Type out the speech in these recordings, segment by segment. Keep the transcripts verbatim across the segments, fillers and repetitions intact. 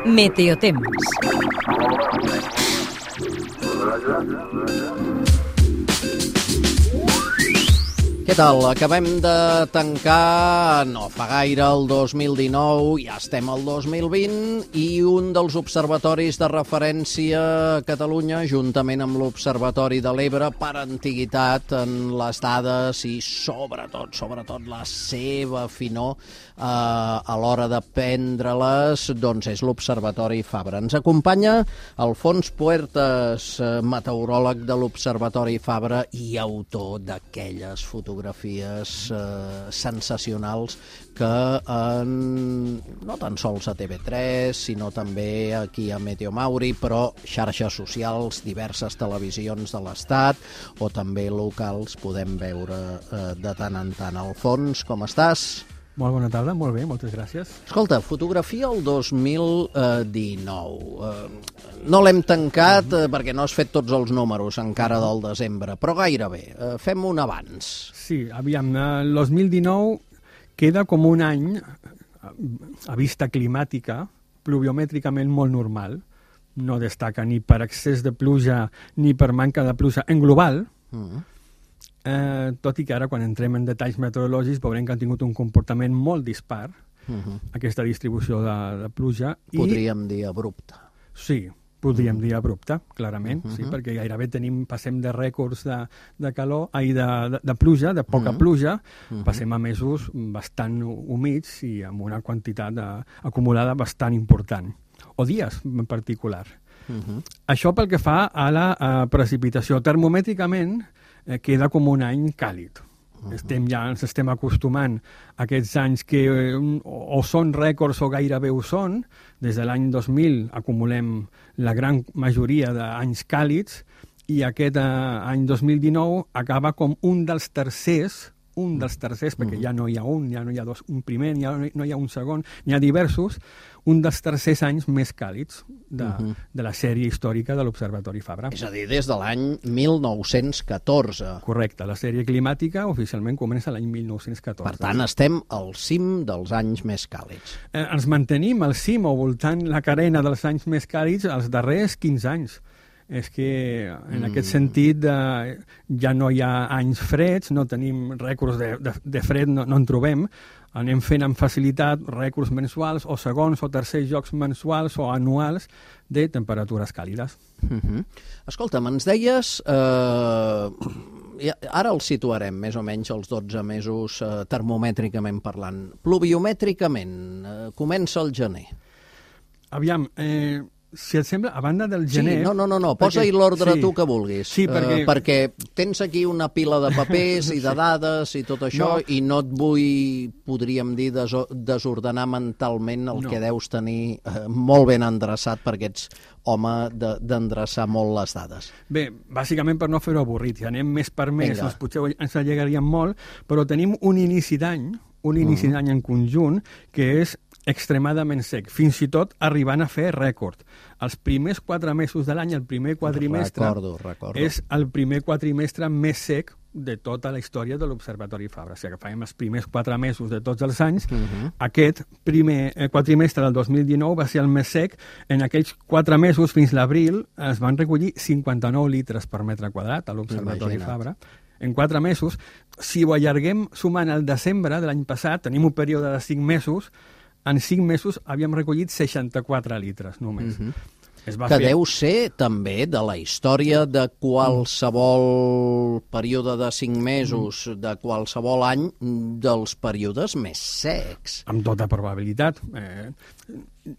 Meteotemps. Què tal? Acabem de tancar, no fa gaire, el dos mil dinou, ja estem al dos mil vint, i un dels observatoris de referència a Catalunya, juntament amb l'Observatori de l'Ebre, per antiguitat en les dades i sobretot, sobretot la seva finor eh, a l'hora de prendre-les, doncs és l'Observatori Fabra. Ens acompanya Alfons Puertas, meteoròleg de l'Observatori Fabra i autor d'aquelles fotografies fotografies eh, sensacionals que en, no tan sols a T V tres, sinó també aquí a Meteo Mauri, però xarxes socials, diverses televisions de l'Estat o també locals podem veure eh, de tant en tant. Alfons, com estàs? Molt bona tarda, molt bé, moltes gràcies. Escolta, fotografia el dos mil dinou. Eh, no l'hem tancat eh, perquè no has fet tots els números encara del desembre, però gairebé. Eh, fem un abans. Sí, aviam, el dos mil dinou queda com un any a vista climàtica, pluviomètricament molt normal. No destaca ni per excés de pluja ni per manca de pluja en global. Mm. Eh, tot i que ara, quan entrem en detalls meteorològics, veurem que han tingut un comportament molt dispar, uh-huh. aquesta distribució de, de pluja. Podríem i... dir abrupte. Sí, podríem uh-huh. dir abrupte, clarament, uh-huh. sí, perquè gairebé tenim, passem de rècords de, de calor, ai, de, de, de pluja, de poca uh-huh. pluja, uh-huh. passem a mesos bastant humits i amb una quantitat de, acumulada bastant important, o dies en particular. Uh-huh. Això pel que fa a la a precipitació. Termomètricament, eh, queda com un any càlid. Uh-huh. Estem ja ens estem acostumant a aquests anys que eh, o són rècords o gairebé ho són. Des de l'any dos mil acumulem la gran majoria d'anys càlids i aquest eh, any dos mil dinou acaba com un dels tercers un dels tercers, perquè ja no hi ha un, ja no hi ha dos, un primer, ja no hi ha un segon, n'hi ha diversos, un dels tercers anys més càlids de, uh-huh. de la sèrie històrica de l'Observatori Fabra. És a dir, des de l'any mil nou-cents catorze. Correcte, la sèrie climàtica oficialment comença l'any mil nou-cents catorze. Per tant, estem al cim dels anys més càlids. Eh, ens mantenim al cim o voltant la carena dels anys més càlids els darrers quinze anys. És que en mm. aquest sentit eh, ja no hi ha anys freds, no tenim rècords de, de, de fred, no, no en trobem, anem fent amb facilitat rècords mensuals o segons o tercers jocs mensuals o anuals de temperatures càlides. Mm-hmm. Escolta'm, ens deies, eh, ara el situarem més o menys els dotze mesos eh, termomètricament parlant. Pluviomètricament, eh, comença el gener. Aviam, eh... si et sembla, a banda del gener... Sí, no, no, no, no. posa-hi l'ordre sí, tu que vulguis. Sí, perquè... Uh, perquè tens aquí una pila de papers i de dades i tot això, no. i no et vull, podríem dir, des desordenar mentalment el no. que deus tenir uh, molt ben endreçat, perquè ets home d'endreçar de, molt les dades. Bé, bàsicament per no fer-ho avorrit, si anem més per més, doncs potser ens allegaríem molt, però tenim un inici d'any, un inici mm. d'any en conjunt, que és extremadament sec, fins i tot arribant a fer rècord. Els primers quatre mesos de l'any, el primer quadrimestre, recordo, recordo. és el primer quadrimestre més sec de tota la història de l'Observatori Fabra. Si agafem els primers quatre mesos de tots els anys, uh-huh. aquest primer quadrimestre del dos mil dinou va ser el més sec. En aquells quatre mesos, fins l'abril, es van recollir cinquanta-nou litres per metre quadrat a l'Observatori Fabra. En quatre mesos, si ho allarguem sumant el desembre de l'any passat, tenim un període de cinc mesos, en cinc mesos havíem recollit seixanta-quatre litres només. Uh-huh. Es va que fer... deu ser també de la història de qualsevol període de cinc mesos, de qualsevol any, dels períodes més secs. Amb tota probabilitat. Eh,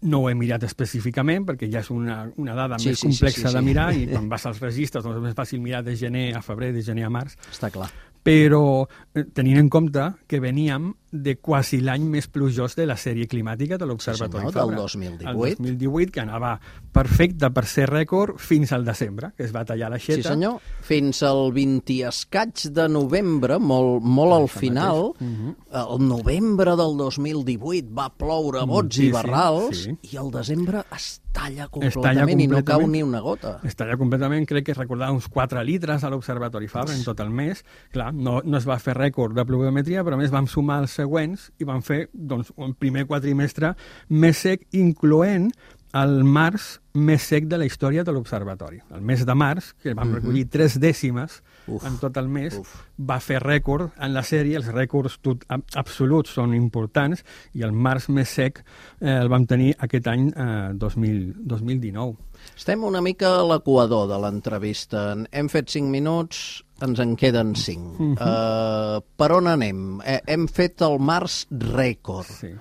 no ho he mirat específicament perquè ja és una, una dada sí, més sí, complexa sí, sí, sí. de mirar i quan vas als registres doncs és més fàcil mirar de gener a febrer, de gener a març. Està clar. Però tenint en compte que veníem de quasi l'any més plujós de la sèrie climàtica de l'Observatori sí, senyor, Fabra. Del dos mil divuit. El dos mil divuit, que anava perfecte per ser rècord fins al desembre, que es va tallar l'aixeta. Sí, senyor. Fins al vint i escaig de novembre, molt, molt al final, uh-huh. el novembre del dos mil divuit va ploure bots i barrals, sí. i el desembre es talla completament, es talla completament i no cau ni una gota. Es talla completament, crec que recordava uns quatre litres a l'Observatori Fabra en tot el mes. Clar, no, no es va fer rècord de pluviometria, però a més vam sumar els següents i van fer doncs, un primer quadrimestre més sec, incloent el març més sec de la història de l'observatori. El mes de març, que vam recollir uh-huh. tres dècimes Uf. en tot el mes, Uf. va fer rècord en la sèrie. Els rècords tot, absoluts són importants i el març més sec eh, el vam tenir aquest any eh, dos mil dinou. Estem una mica a l'equador de l'entrevista. Hem fet cinc minuts, ens en queden cinc. Uh-huh. Uh, per on anem? Eh, hem fet el març rècord. Sí.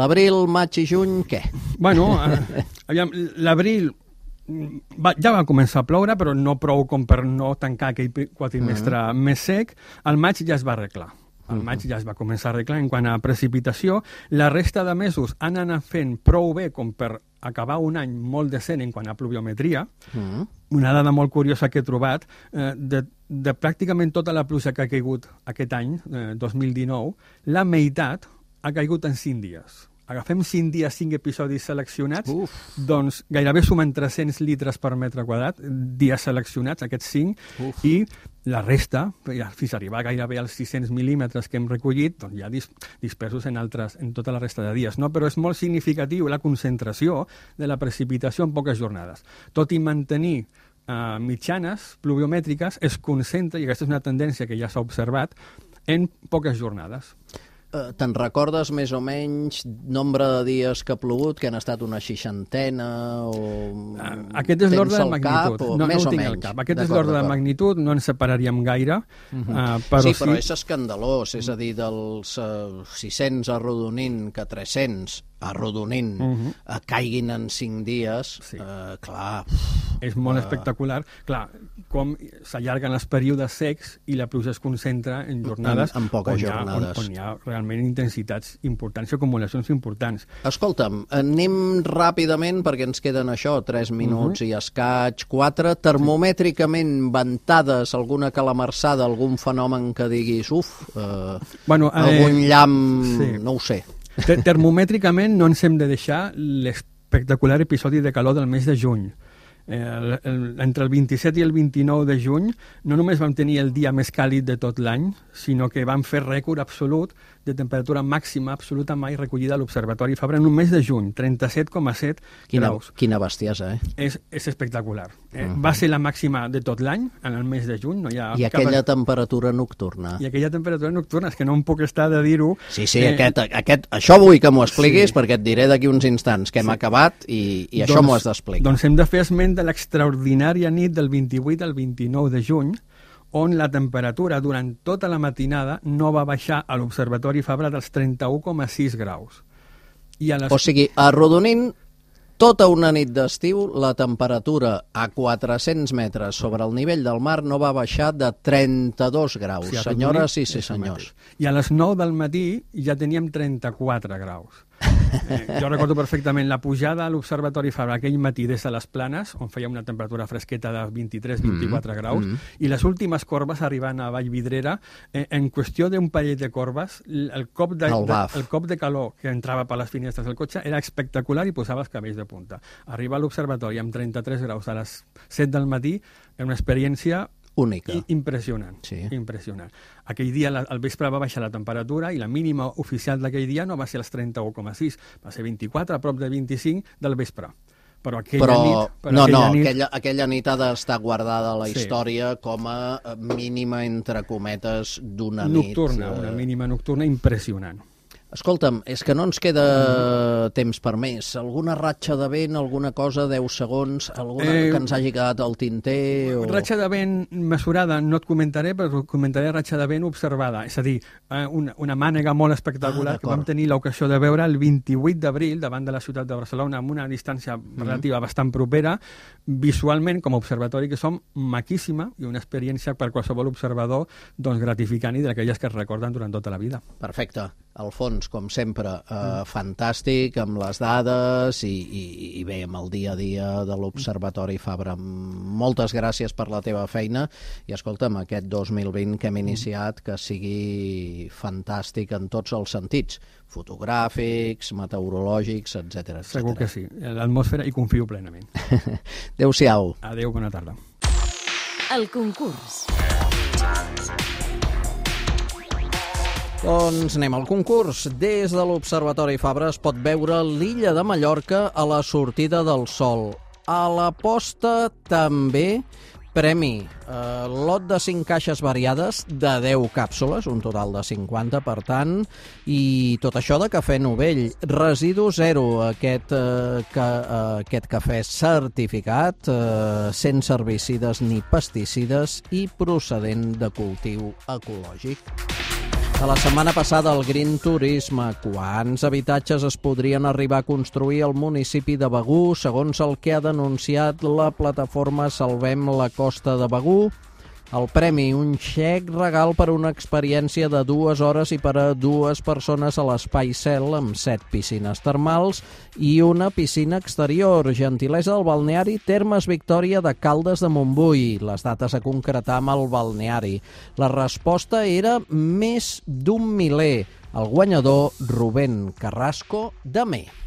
L'abril, maig i juny, què? Bueno, eh, aviam, l'abril va, ja va començar a ploure, però no prou com per no tancar aquell quadrimestre uh-huh. més sec. El maig ja es va arreglar. El uh-huh. maig ja es va començar a arreglar en quant a precipitació. La resta de mesos han anat fent prou bé com per acabar un any molt decent en quant a pluviometria. Uh-huh. Una dada molt curiosa que he trobat, eh, de, de pràcticament tota la pluja que ha caigut aquest any, eh, dos mil dinou, la meitat ha caigut en cinc dies. Agafem cinc dies, cinc episodis seleccionats, Uf. doncs gairebé sumen tres-cents litres per metre quadrat, dies seleccionats, aquests cinc, Uf. i la resta, fins a arribar gairebé als sis-cents mil·límetres que hem recollit, doncs ja dis dispersos en, altres, en tota la resta de dies. No? Però és molt significatiu la concentració de la precipitació en poques jornades. Tot i mantenir uh, mitjanes pluviomètriques, es concentra, i aquesta és una tendència que ja s'ha observat, en poques jornades. Uh, Te'n recordes més o menys nombre de dies que ha plogut, que han estat una seixantena o... Uh, aquest és l'ordre de magnitud. Cap, o no, més no ho o tinc menys. al cap. Aquest és l'ordre de magnitud, no ens separaríem gaire. Uh-huh. uh, però sí, però sí... és escandalós, és a dir, dels uh, sis-cents arrodonint que tres-cents arrodonint uh-huh. uh, caiguin en cinc dies, sí. uh, clar... És molt uh... espectacular. Clar, com s'allarguen els períodes secs i la pluja es concentra en jornades en, en poques on, jornades. Hi ha, on, on hi ha realment intensitats importants i acumulacions importants. Escolta'm, anem ràpidament perquè ens queden això, tres minuts uh-huh. i escaig, quatre, termomètricament ventades, alguna calamarsada, algun fenomen que diguis, uf, uh, bueno, eh, algun llamp, sí. no ho sé. Termomètricament no ens hem de deixar l'espectacular episodi de calor del mes de juny. Eh, el, el, entre el vint-i-set i el vint-i-nou de juny no només vam tenir el dia més càlid de tot l'any, sinó que vam fer rècord absolut de temperatura màxima absoluta mai recollida a l'Observatori Fabra en un mes de juny, trenta-set coma set graus. Quina bestiesa, eh? És, és espectacular. Eh? Uh-huh. Va ser la màxima de tot l'any, en el mes de juny. No hi ha I aquella cap... temperatura nocturna. I aquella temperatura nocturna, és que no em puc estar de dir-ho. Sí, sí, eh... aquest, aquest, això vull que m'ho expliquis, sí. perquè et diré d'aquí uns instants que hem sí. acabat i, i això doncs, m'ho has d'explicar. Doncs hem de fer esment de l'extraordinària nit del vint-i-vuit al vint-i-nou de juny, on la temperatura durant tota la matinada no va baixar a l'Observatori Fabra dels trenta-u coma sis graus. I a les... O sigui, arrodonint tota una nit d'estiu, la temperatura a quatre-cents metres sobre el nivell del mar no va baixar de trenta-dos graus. Sí, senyores i sí, senyors. I a les nou del matí ja teníem trenta-quatre graus. Eh, jo recordo perfectament la pujada a l'Observatori Fabra aquell matí des de les Planes, on feia una temperatura fresqueta de vint-i-tres a vint-i-quatre mm, graus, mm. i les últimes corbes arribant a Vallvidrera, eh, en qüestió d'un parell de corbes, el cop de, el, de, el cop de calor que entrava per les finestres del cotxe era espectacular i posava els cabells de punta. Arribar a l'Observatori amb trenta-tres graus a les set del matí era una experiència única. I impressionant, sí. impressionant. Aquell dia la, al vespre va baixar la temperatura i la mínima oficial d'aquell dia no va ser els trenta-u coma sis, va ser vint-i-quatre, a prop de vint-i-cinc del vespre. Però aquella però, nit... Però no, aquella no, nit... Aquella, aquella nit ha d'estar guardada a la sí. història com a mínima, entre cometes, d'una nit. Nocturna, eh... una mínima nocturna impressionant. Escolta'm, és que no ens queda mm. temps per més. Alguna ratxa de vent, alguna cosa, deu segons, alguna eh, que ens hagi quedat al tinter? O... Ratxa de vent mesurada no et comentaré, però comentaré ratxa de vent observada. És a dir, una, una mànega molt espectacular ah, que vam tenir l'ocasió de veure el vint-i-vuit d'abril davant de la ciutat de Barcelona amb una distància mm. relativa bastant propera, visualment, com a observatori que som, maquíssima i una experiència per qualsevol observador doncs, gratificant i d'aquelles que es recorden durant tota la vida. Perfecte. Alfons, com sempre, eh, mm. fantàstic, amb les dades i, i, i bé, amb el dia a dia de l'Observatori Fabra. Moltes gràcies per la teva feina i escolta'm, aquest dos mil vint que hem iniciat, que sigui fantàstic en tots els sentits, fotogràfics, meteorològics, etcètera. Segur que sí, l'atmosfera hi confio plenament. Adéu-siau. Adéu, bona tarda. El concurs. Doncs anem al concurs. Des de l'Observatori Fabra es pot veure l'illa de Mallorca a la sortida del sol. A la posta també premi. Eh, lot de cinc caixes variades de deu càpsules, un total de cinquanta, per tant, i tot això de cafè Novell. Residu zero, aquest, eh, que, eh, aquest cafè certificat, eh, sense herbicides ni pesticides i procedent de cultiu ecològic. A la setmana passada, el Green Turisme. Quants habitatges es podrien arribar a construir al municipi de Begur, segons el que ha denunciat la plataforma Salvem la Costa de Begur? El premi, un xec regal per una experiència de dues hores i per a dues persones a l'Espai Cel, amb set piscines termals i una piscina exterior. Gentilesa del balneari Termes Victòria de Caldes de Montbui. Les dates a concretar amb el balneari. La resposta era més d'un miler. El guanyador, Rubén Carrasco, de Mer.